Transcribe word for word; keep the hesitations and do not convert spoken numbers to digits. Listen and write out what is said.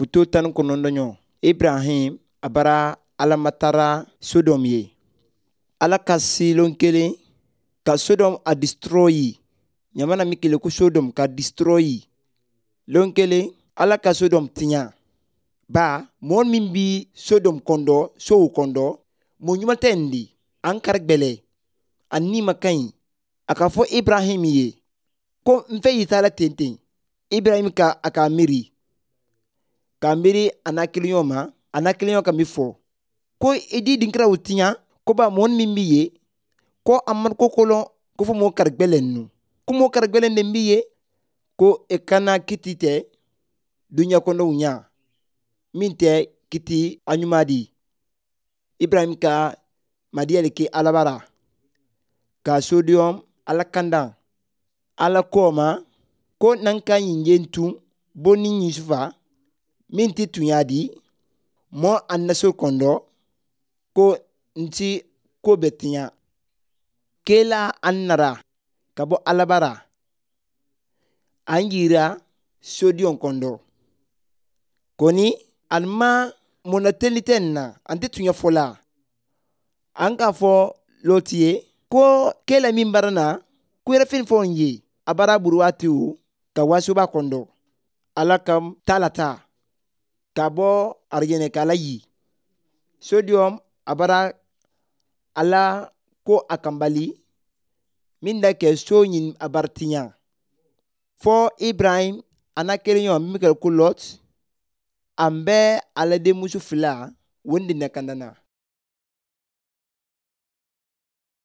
Foto tan ni kɔnɔntɔn Ibrahim a bara Alamatara Sodom ye. Ala ka silon kelen ka Sodom a destroy. Ɲamana min kele ko Sodom ka destroy. Lon kelen Ala ka Sodom tiɲa. Ba mɔgɔ min bi Sodom kɔndɔ sow kɔndɔ mɔgɔ ɲuman tɛ nin di. An kari gbɛlɛ. A ni ma ka ɲi. A ka fɔ Ibrahim ye ko n fɛ y'i ta la ten ten. Ibrahim ka a ka miiri. K'a miiri a n'a kiliɲɔgɔn ma, a n'a kiliɲɔgɔn ka min fɔ. Ko i di dinkiraw tiɲa, ko ba mɔgɔ min b'i ye, ko a man ko kolon, ko fo mɔgɔ kari gbɛlɛ ninnu. Ko mɔgɔ kari gbɛlɛ de b'i ye, ko e kana kiti tɛ duɲa kɔnɔw ɲa, min tɛ kiti a ɲuman di. Ibrahim ka madiya de kɛ Ala bara, ka Sodom Ala kanda. Ala ko ma, ko n'an ka ɲi yen tun, bo ni Yusufa, min tɛ tunya di, mɔ a naso kɔndɔ, ko n ti ko bɛ tiɲa. Kela an nara ka bɔ Ala bara, an yira Sodom kɔndɔ. Kɔni, an ma mɔnateli tɛ nin na, an tɛ tunya fɔ la. An k'a fɔ Lɔti ye ko kela min bara na, ko yɛrɛ fɛn fɔ n ye, a bara buru waati o, ka wasoba kɔndɔ. Ala ka taa la taa, ka bɔ arijɛnɛ k'Ala yi. Sodom a bara Ala ko a kanbali, min da kɛ so ɲin a bara tiɲa. Fɔ Ibrahim a n'a kelen ɲɔgɔn min kɛra ko Lɔt, an bɛ Ala denmuso fila, o de na kandana.